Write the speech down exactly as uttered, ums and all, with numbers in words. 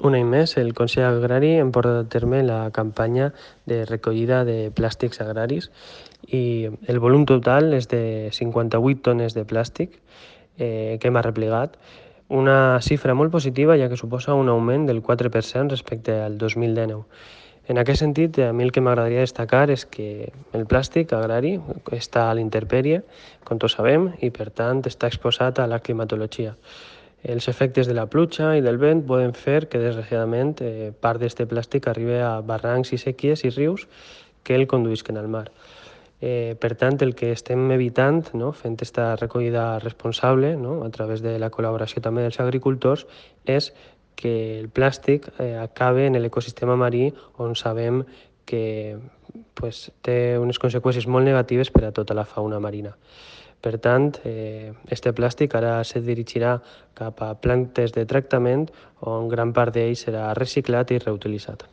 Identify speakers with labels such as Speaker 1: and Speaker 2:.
Speaker 1: Un any més, el Consell Agrari hem portat a terme la campanya de recollida de plàstics agraris i el volum total és de cinquanta-vuit tones de plàstic eh, que hem arreplegat, una xifra molt positiva ja que suposa un augment del quatre per cent respecte al dos mil dinou. En aquest sentit, a mi el que m'agradaria destacar és que el plàstic agrari està a l'intempèrie, com tots sabem, i per tant està exposat a la climatologia. Els efectes de la pluja i del vent poden fer que, desgraciadament, eh, part d'aquest plàstic arribi a barrancs i sèquies i rius que el conduïsquen al mar. Eh, per tant, el que estem evitant, no, fent aquesta recollida responsable, no, a través de la col·laboració també dels agricultors, és que el plàstic eh, acabe en l'ecosistema marí, on sabem que pues, té unes conseqüències molt negatives per a tota la fauna marina. Per tant, eh, este plàstic ara se dirigirà cap a plantes de tractament on gran part d'ell serà reciclat i reutilitzat.